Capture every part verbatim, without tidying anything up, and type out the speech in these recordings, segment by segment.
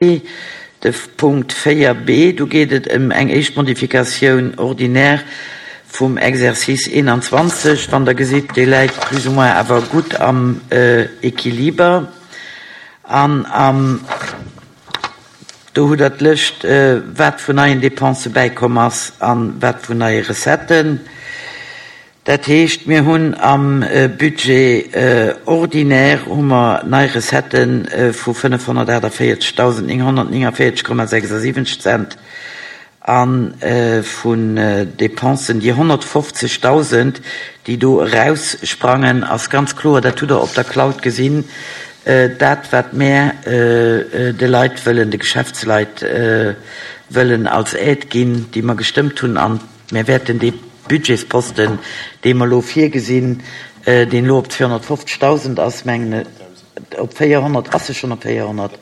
De Punkt véier b, do geet et ëm eng éischt Modifikatioun ordinaire vum Exercice eenanzwanzeg. Wann Der gesitt, dee läit plus ou moins awer gutt am Equiliber. An am, do hutt Der d'Lëscht, wat vun neien Dépense bäikomm ass a wat vun neie Recetten. Dat heescht, mir hunn am Budget ordinaire hu mer nei Recettë vu fënnefhonnertaachtavéierzegdausendnénghonnertnéngavéierzeg Komma sechsasiwwenzeg Cent a vun Dépensen, déi honnertfofzegdausend, déi do eraussprangen, ass ganz kloer, dat hutt Der op der Cloud gesinn, dat wat mär de Leit wëllen, de Geschäftsleit wëllen als Aide ginn, déi mer gestëmmt hunn, an mär wäerten dee Budgetsposten, dee mer elo virgesinn, deen elo op zweehonnertfofzegdausend ass, mengen ech, op véierhonnert, ass e schonn op véierhonnert?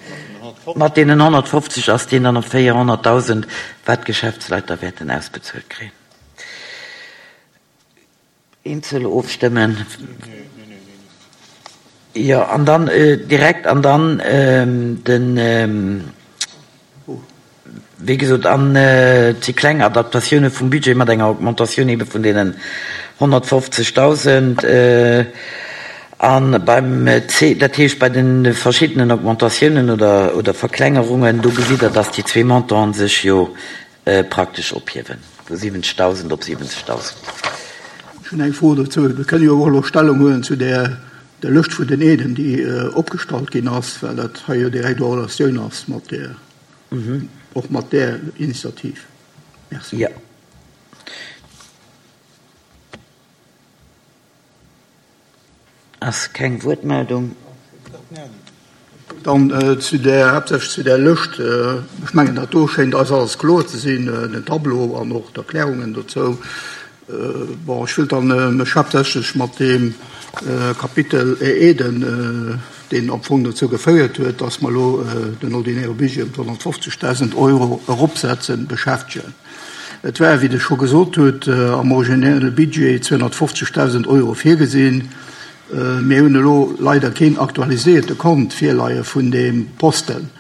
Mat deenen honnertfofzeg ass deen dann op véierhonnertdausend, wat d'Geschäftsleit da wäerten ausbezuelt kréien. Eenzel ofstëmmen? Jo, an dann direkt, an dann den. Wéi gesot, an et si kleng Adaptatioune vum Budget mat enger Augmentatioun ebe vun deenen honnertfofzegdausend. A beim C, dat heescht bei de verschiddenen Augmentatiounen oder, oder Verklengerungen, do gesitt Der, dass déi zwee Montanten sech jo praktesch ophiewen, vu siwwenzegdausend op siwwenzegdausend. Ech hunn eng Fro dozou. Mir kënnen jo och elo Stellung huelen zu där der Lëscht vun den Aiden, déi opgestallt ginn ass, well dat hei jo direkt en Relatioun ass mat där. Och mat där Initiativ. Merci. Jo. Ass keng Wuertmeldung. Dann zu där, haaptsächlech zu där Lëscht. Ech mengen, dat do schéint eis alles kloer ze sinn, den Tableau an och d'Erklärungen dozou. Bon, ech wëllt dann mech haaptsächlech mat deem Kapitel Aiden, deen am Fong dozou geféiert huet, dass mer elo den ordinäre Budget ëm d'honnertfofzegdausend Euro eropsetzen, beschäftegen. Et war, wéi Der scho gesot hutt, am originelle Budget zweehonnertfofzegdausend Euro virgesinn. Mir hunn elo leider keen aktualiséierte Kont virleie vun deem Posten,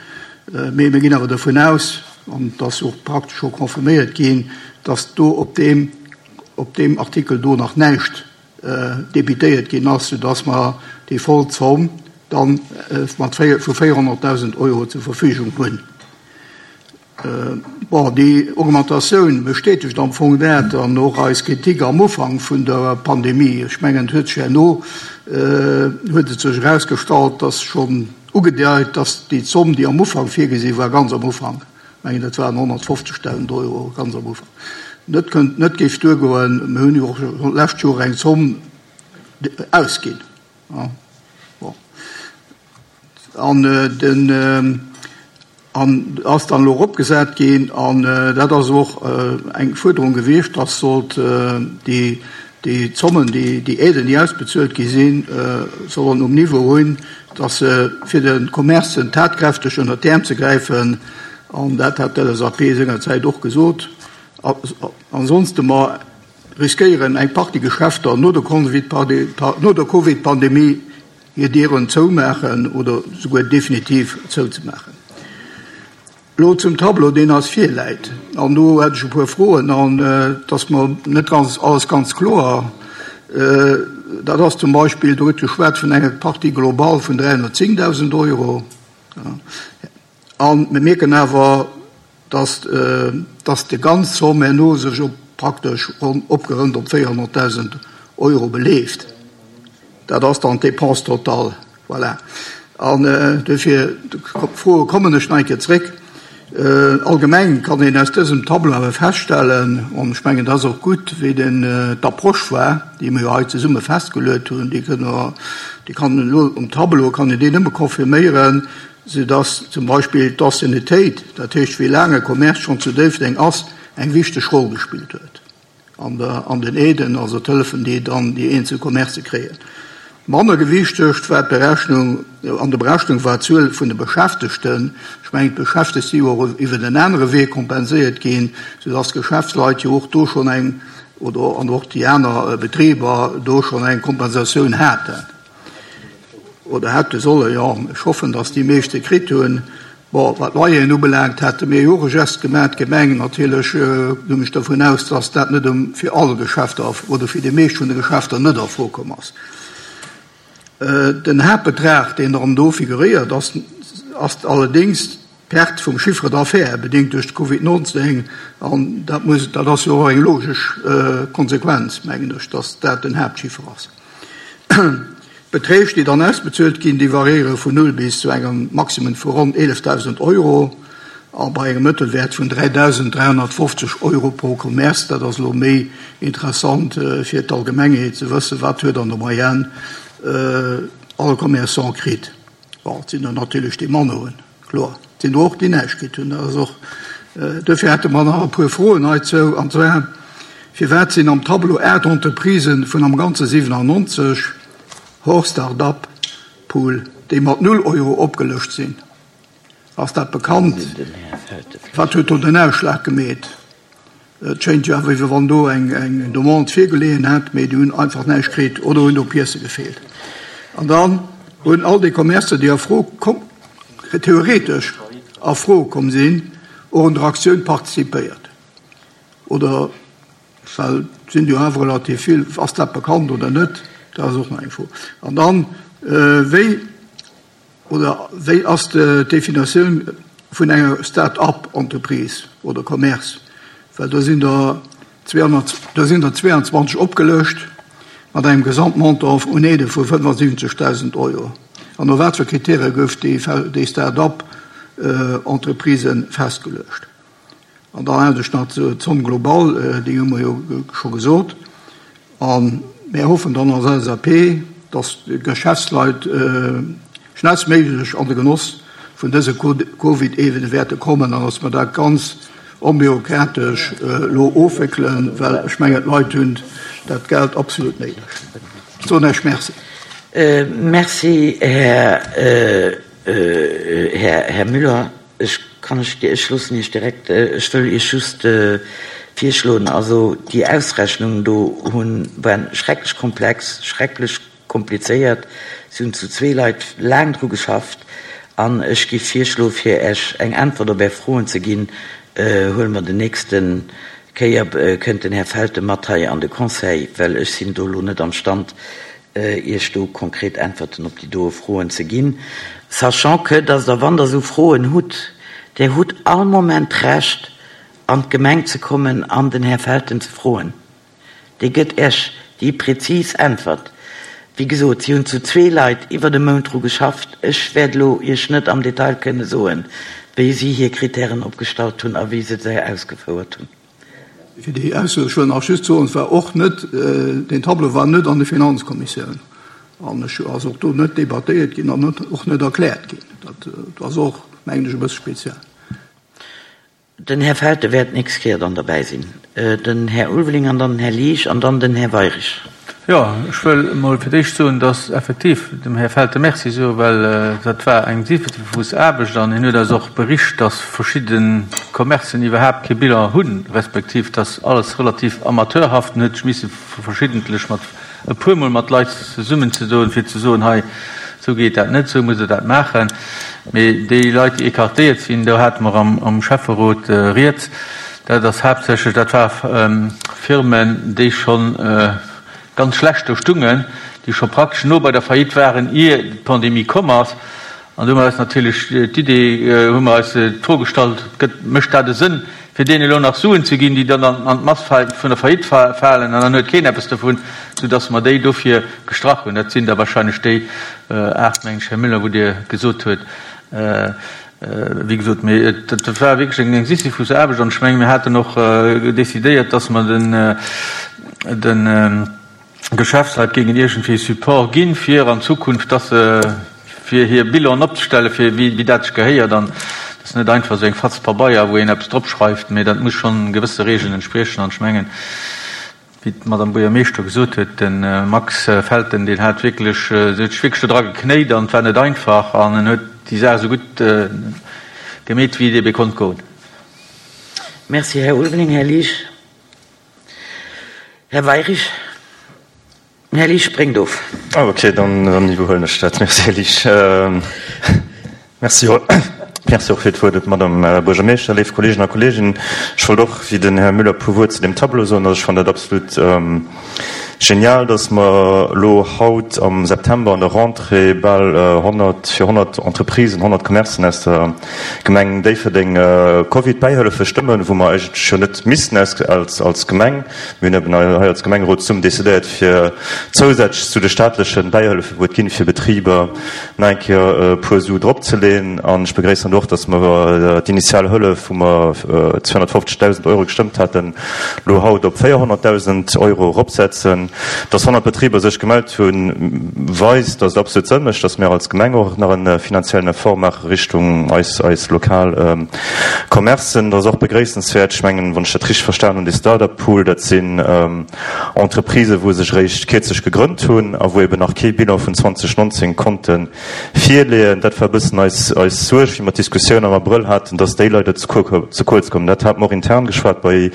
mee mir ginn awer dovun aus, an et ass och praktesch scho confirméiert ginn, dass do op deem, op deem Artikel do nach näischt debitéiert ginn ass, soudass mer déi voll Zomm dann mat vu véierhonnertdausend Euro zur Verfügung hunn. Bon, déi Augmentatioun bestätegt am Fong dat an och eis Kritik am Ufank vun der Pandemie. Ech mengen, et huet sech herno huet et sech erausgestallt, dass schonn ugedeit, dass déi Zomm, déi am Ufank virgesi war, ganz am Ufank, ech mengen, dat waren honnertfofzegdausend Euro ganz am Ufank, net kënnt, net géif duergoen. Mir hunn jo och schonn d'lescht Joer eng Zomm ausginn. Bon. An den an ass dann elo eropgesat ginn, an dat ass och eng Fuerderung gewiescht, dass sollt déi déi Zommen, déi déi Aiden, déi ausbezuelt gi sinn, sollen um Niveau hunn, dass se fir de Commercen tatkräfteg ënnert d'Äerm ze gräifen, an dat hat d'L S A P sengerzäit och gesot, ansonste mer riskéieren eng Partie Geschäfter no der no der Covid-Pandemie hir Dieren zoumaachen oder souguer definitiv zouzemaachen. Elo zum Tableau, deen eis virläit. An do hätt ech e puer Froen, an et ass mer net ganz alles ganz kloer. Dat ass zum Beispill, do gëtt geschwat vun enger Partie global vun dräihonnertzéngdausend Euro. A mir mierken awer, dass, dass déi ganz Zomm herno sech op praktesch ronn opgerënnt op véierhonnertdausend Euro beleeft. Dat ass dann d'Dépense totale. Voilà. An dofir Froe kommen ech nach eng Kéier zréck. Allgemeng kann een aus dësem Tableau awer feststellen, an ech mengen, dat ass och gutt, wéi den d'Approche war, déi mir jo hei zesumme festgeluet hunn, déi kënne mer, déi kann een elo um Tableau kann een déi nëmme confirméieren, soudass zum Beispill d'Anciennetéit, dat heescht wéi laang e Commerce schonn zu Déifferdeng ass, eng wichteg Roll gespillt huet an der, an den Aiden, also d'Hëllefen, déi dann déi eenzel Commercë kréien. Manner gewichtegt war d'Berechnung, an der Berechnung war d'Zuel vun de Beschäftegten. Ech mengen, d'Beschäftegt si jo och iwwer en anere Wee kompenséiert ginn, soudass d'Geschäftsleit jo och do schonn eng, oder an och déi aner Betriber do schonn eng Kompensatioun haten oder hätte sollen. Jo, ech hoffen, dass déi meescht se kritt hunn. Bon, wat Loyeren ubelaangt, hate mir jo och e Geste gemaach, d'Gemeng. Natierlech goung ech dervun aus, dass dat net fir all Geschäfter oder fir déi meescht vun de Geschäfter net a Fro komm ass. Den Haaptbetrag, deen erëm do figuréiert, ass, ass allerdéngs d'Perte vum Chiffre d'affaires, bedéngt duerch de Covid neunzehn. An dat muss, dat ass jo och eng logesch Konsequenz, mengen ech, dass dat den Haaptchiffer ass. D'Beträg, déi dann ausbezuelt ginn, déi variéiere vun null bis zu engem Maximum vu ronn eelefdausend Euro a bei engem Mëttelwäert vun dräidausend dräihonnertfofzeg Euro pro Commerce. Dat ass elo méi interessant fir d'Allgemengheet ze wëssen, wat huet an der Moyenne all Commerçant kritt. Bon, et sinn der natierlech déi manner hunn, kloer. Et sinn der och, déi näischt kritt hunn. Dat ass och, duerfir hätte mer nach e puer Froen heizou. An zwar, firwat sinn am Tableau aacht Entreprisen vun am Ganze siwenannonzeg hors Start-up Pool, déi mat null Euro opgelëscht sinn? Ass dat bekannt? Wat huet do den Ausschlag gemeet? Et schéint jo awer, wéi wann do eng, eng Demande virgeleeën hätt, mee déi hunn einfach näischt kritt oder hunn do Piècë gefeelt. An dann hunn all déi Commercer, déi a Fro komm, theoretesch a Fro komm sinn, och un der Aktioun participéiert. Oder, well et sinn jo awer relativ vill, ass dat bekannt oder net? Dat ass och nach eng Fro. An dann, wéi oder wéi ass d'Definitioun vun enger Start-up-Entreprise oder Commerce? Well do sinn der zweehonnert, do sinn der zweiundzwanzeg opgelëscht mat engem Gesamtmontant un Aide vu fënnefundsiwwenzegdausend Euro. An no wat fir Kritäre gouf déi, déi Start-up-Entreprise festgeluecht? An dann hat ech nach d'Zomm global, déi hu mer jo scho gesot. A mir hoffen dann als L S A P, dass d'Geschäftsleit schnellstméiglech an de Genoss vun dëse Covid-Aiden wäerte kommen an dass mer dat ganz onbürokratesch elo ofwéckelen, well ech mengen, d'Leit hunn dat Geld absolut néideg. Ech soen Iech Merci. Merci, Här, Här, Här Müller. Ech kann ech, ech loossen Iech direkt, ech wëll Iech just virschloen, also déi Ausrechnungen do hunn, waren schrecklech komplex, schrecklech komplizéiert. Si hunn zu zwee Leit laang dru geschafft an ech géif virschloen, fir Iech eng Äntwert op Är Froen ze ginn, huele mer den nächsten Kéier, kënnt den Här Felten mat hei an de Conseil, well ech sinn do elo net am Stand, Iech do konkret Äntwerten op déi doe Froen ze ginn. Sachant que, dass Der, wann Der esou Froen hutt, Der hutt all Moment d'Recht, an d'Gemeng ze kommen an den Här Felten ze froen. Dee gëtt Iech déi präzis Äntwert. Wéi gesot, si hunn zu zwee Leit iwwer e Mount dru geschafft. Ech wäert elo Iech net am Detail kënne soen, wéi si hir Kritären opgestallt hunn a wéi se se ausgefouert hunn. Fir déi Ausso, ech wëll nach just soen, et war och net, deen Tableau war net an der Finanzkommissioun an ech ass och do net debattéiert ginn an och net erkläert ginn. Dat ass och, mengen ech, e bësse speziell. Den Här Felten wäert d'nächst Kéier dann derbäi sinn. Den Här Ulveling an dann den Här Liesch an dann den Här Weyrich. Jo, ech wëll emol fir d'éischt soen, dass effektiv dem Här Felten Merci soen, well dat war eng Sisyphus Aarbecht an hien huet eis och bericht, dass verschidde Commercen iwwerhaapt kee Bilan hunn, respektiv dass alles relativ amateurhaft, en huet sech misse verschiddentlech mat e puermol mat Leit zesummenzedoen, fir ze soen, hei, esou geet dat net, esou musst Der dat maachen. Mee déi Leit, déi écartéiert sinn, do hate mer am Schäfferot rieds, dat ass haaptsächlech, dat war Firmen, déi scho ganz schlecht do stungen, déi scho praktesch no bei der Faillite waren, ier d'Pandemie komm ass. An do hu mer eis natierlech d'Idee, hu mer eis d'Fro gestallt, gëtt, mécht dat e Sënn, fir deenen elo nach Suen ze ginn, déi dann an d'Mass vun der Faillite falen, an dann huet keen eppes dovun, soudass mer déi dofir gestrach hunn. Dat sinn da wahrscheinlech déi aacht, mengen ech, Här Müller, wou Dir gesot huet. Wéi gesot, mee dat war wierklech eng Sisyphus-Aarbecht, an ech mengen, mir haten och decidéiert, dass mer den, de Geschäftsleit géingen iergendwéi Support ginn, fir an Zukunft, dass se fir hir Bilanen opzestellen, fir wéi dat sech gehéiert, an dat ass net einfach esou eng Fatz Pabeier, wou een eppes drop schreift, mee dat muss schonn gewësse Regeln entspriechen. An ech mengen, wéi d'Madame Buergermeeschter gesot huet, de Max Felten, deen hat wierklech, se huet sech wierklech do dra geknéit an et war net einfach an en huet déi Saach esou gutt gemeet, wéi et ebe konnt goen. Merci, Här Ulveling. Här Liesch. Här Weyrich. Här Liesch spréngt of. Ah, okay, dann, dann iwwerhuelen ech dat. Merci, Här Liesch. Merci, Merci och fir d'Wuert, Madame Buergermeeschter, léif Kolleegen a Kolleeginnen. Ech wollt och, wéi den Här Müller, e puer Wuert zu deem Tableau soen. Also ech fannen dat absolut genial, dass mer elo haut am September an der Rentrée bal honnert, fir honnert Entreprisen, honnert Commercen aus der Gemeng Déifferdeng Covid-Bäihëllefe stëmmen, wou mer eigentlech jo net missten als, als Gemeng. Mir hunn eben hei als Gemengerot zesummen decidéiert, fir zousätzlech zu de staatleche Bäihëllefen, wou et ginn, fir Betriber nach eng Kéier e puer Su dropzeleeën. An ech begréissen och, dass mer d'initial Hëllef, wou mer zweehonnertfofzegdausend Euro gestëmmt haten, elo haut op véierhonnertdausend Euro eropsetzen. Dass honnert Betriber sech gemellt hunn, weist, dass et absolut Sënn mécht, dass mir als Gemeng och nach e finanziellen Effort maache Richtung eis, eis lokal Commercen. Dat ass och begréissenswäert. Ech mengen, wann ech dat richteg verstan hunn, dee Start-up-Pool, dat sinn Entreprisen, wou sech eréischt kierzlech gegrënnt hunn a wou eben nach kee Bilan vun zweedausendnonzéng konnte virleeën. Dat war e bëssen eis, eis Suerg, wéi mer d'Diskussioun am Abrëll haten, dass déi leider ze kuerz kommen. Dat hate mer och intern geschwat bei,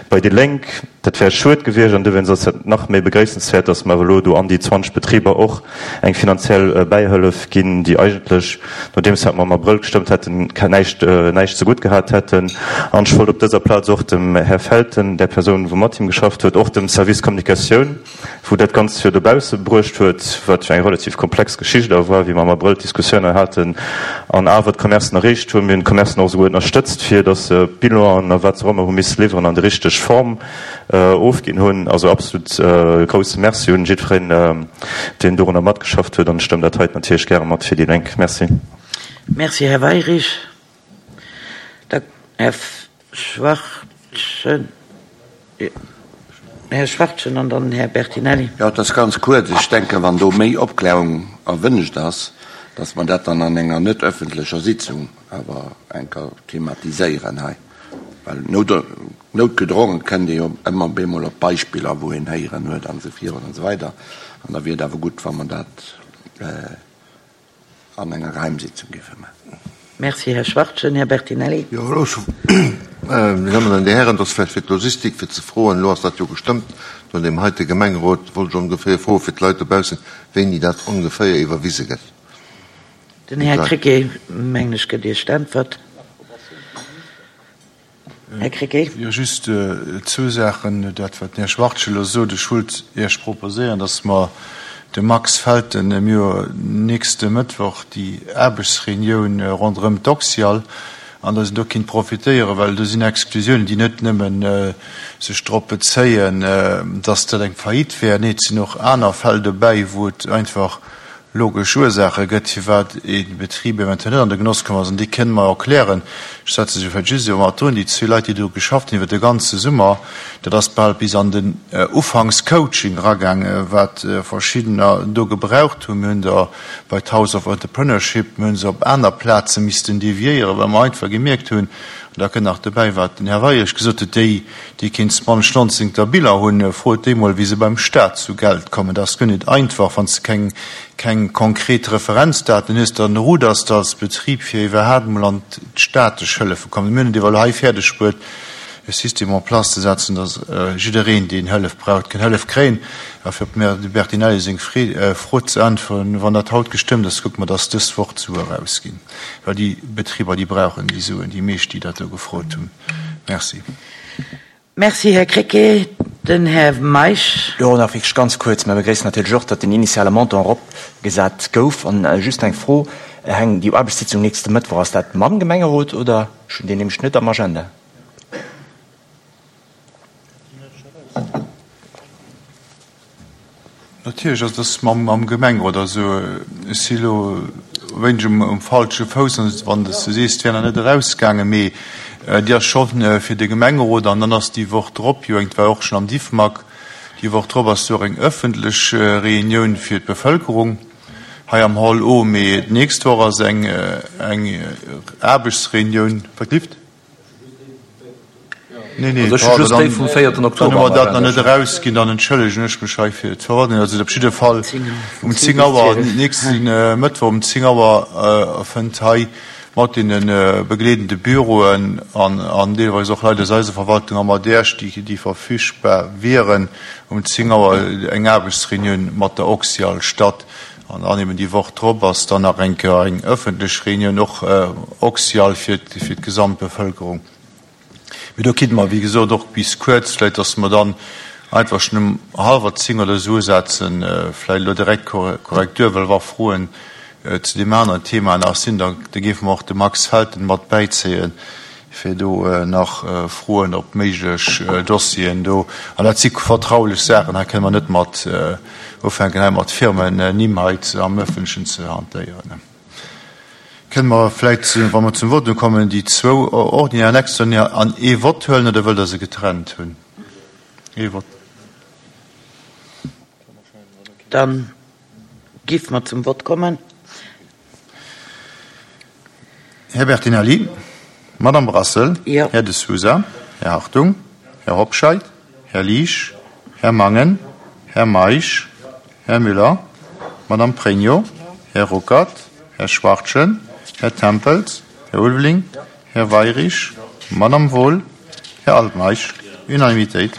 bei déi Lénk. Dat wär schued gewiescht an dowéinst ass et nach méi begréissenswäert, dass mer awer elo do an déi zwanzeg Betriber och eng finanziell Bäihëllef ginn, déi eigentlech, nodeems wat mer am Abrëll gestëmmt hätten, näischt, näischt zegutt gehat hätten. An ech wollt op dëser Plaz och dem Här Felten, där Persoun, wou mat him geschafft huet, och dem Service Communicatioun, wou dat Ganzt jo dobausse bruecht huet, wat jo eng relativ komplex Geschicht awer war, wéi mer am Abrëll d'Diskussioun hei haten, an awer d'Commercen erreecht hunn. Mir hunn d'Commercen och esouguer ënnerstëtzt, fir dass se Bilanen a wat se och ëmmer hu misse liwweren an der richteg Form ofginn hunn. Also absolut grousse Merci un jiddwereen, deen dorunner matgeschafft huet. An ech stëmmen dat heiten natierlech gäre mat fir déi Lénk. Merci. Merci, Här Weyrich. Da Här Schwachtgen. Här Schwachtgen an dann Här Bertinelli. Jo, et ass ganz kuerz. Ech denken, wann do méi Opklärung erwünscht ass, dass mer dat dann an enger net öffentlecher Sitzung awer enker thematiséieren hei. Well noutgedrongen kënnt ee jo ëmmer bemol op Beispiller, wou een héieren huet an esou virun an esou weider. An da wier et awer gutt, wa mer dat an enger Geheimsitzung géife maachen. Merci, Här Schwachtgen. Här Bertinelli. Jo, elo scho, Dir Dammen an Dir Hären, et ass vläicht fir d'Logistik, fir ze froen, elo ass dat jo gestëmmt no deem heite Gemengerot, wollt ech ongeféier froe fir d'Leit dobaussen, wéini dat ongeféier iwwerwise gëtt. Den Här Krecké, mengen ech, gëtt Iech d'Äntwert. Här Krecké. Jo, just zwou Saachen. Dat, wat den Här Schwachtgen elo sot, ech wollt Iech proposéieren, dass mer de Max Felten, mir hu nächste Mëttwoch déi Aarbechtsreunioun ronderëm d'Oxyal, an dass en do kinnt profitéieren, well do sinn Exklusiounen, déi net nëmmen sech drop bezéien, dass dat eng Faillite wär. Nee, et sinn och aner Fäll dobäi, wou et einfach logesch Ursaache gëtt, firwat ee Betrib eventuell net an de Genoss komm ass, an déi kënne mer erklären. Ech setze se vläicht just elo mat drun, déi zwee Leit, déi do geschafft hunn iwwer de ganze Summer, dat ass bal bis an den Ufanks-Coaching eragaangen, wat verschiddener do gebraucht hunn. Mir hunn der bei d'House of Entrepreneurship, mir hu se op aner Plaze missten deviéieren, well mer einfach gemierkt hunn, an da kënnt nach dobäi, wat den Här Weyrich gesot huet, déi, déi keen zwanzeg Biller hunn, frot déi mol, wéi se beim Staat zu Geld kommen. Dat ass guer net einfach, wann s de keng, keng konkret Referenzdaten hues, dann ruders de als Betrib, fir iwwerhaapt mol an d'staatlech Hëllefe kommen. Mir hunn et ewell hei fäerdeg bruet, e System en place ze setzen, dass jiddereen, deen Hëllef braucht, kann Hëllef kréien. A fir op dem Här Bertinelli seng Fro ze äntweren, Wann dat haut gestëmmt ass, kucke mer, dass dës Woch d'Sue erausginn, well déi Betriber, déi brauchen déi Suen, déi meescht, déi dat do gefrot hunn. Merci. Merci, Här Krecké. Den Här Meisch. Jo, nach wierklech ganz kuerz. Mir begréissen natierlech och, datt den initiale Montant eropgesat gouf. An just eng Fro, Heng, déi Aarbechtssitzung nächste Mëttwoch, ass dat mam Gemengerot oder? Ech hunn déi nämlech net am Agenda. Natierlech ass dass mam Gemengerot. Also ech si elo e wéineg um falsche Fouss, wann s de sees, et wär nach net erausgaangen, mee déi ass scho fir de Gemengerot. An dann ass déi Woch drop jo eng, et war och schonn am Diffmag, déi Woch drop ass jo och eng ëffentlech Reunioun fir d'Bevëlkerung hei am Hall O. Mee d'nächst Woch ass eng Aarbechtsreunioun. Wat lift? Nee, nee, also ech just déi vum véierten Oktober. Dann hu mer dat nach net erausginn, dann entschëllegen ech mech hei fir d'Verwirrung. Also op jidde Fall um zéng Auer, nächste Mëttwoch um zéng Auer fënnt hei mat deene begleedende Büroen an, an deelweis och Leit aus eiser Verwaltung a mat Iech, déi, déi verfügbar wieren, um zéng Auer eng Aarbechtsreunioun mat der Oxyal statt. An dann eben déi Woch drop ass dann nach eng Kéier eng ëffentlech Reunioun, och oxial fir fir d'gesamt Bevëlkerung. Mee do kinnte mer, wéi gesot, och bis kuerz, vläicht dass mer dann einfach schonn um hallwer zéng oder esou usetzen, vläicht elo direkt Korrektur, well wa Froen zu deem aneren Thema nach sinn, da géife mer och de Max Felten mat bäizéien, fir do nach Froen op méiglech Dossieren do, an dat si vertraulech Saachen, hei kënne mer net mat ufänken, hei mat Firmennimm hei am Öffentlechen ze hantéieren. Kënne mer vläicht, wa mer zum Votum kommen, déi zwou ordinär an extraordinär an ee Vott huelen, oder wëllt Der se getrennt hunn? Ee Vott. Da géife mer zum Vott kommen. Här Bertinelli, Madame Brassel, Jo. Här De Sousa, Här Hartung, Här Hobscheit, Här Liesch, Här Mangen, Här Meisch, Här Müller, Madame Pregno, Här Ruckert, Här Schwachtgen, Här Tempels, Här Ulveling, Här Weyrich, Madame Wohl, Här Altmeisch. Unanimitéit.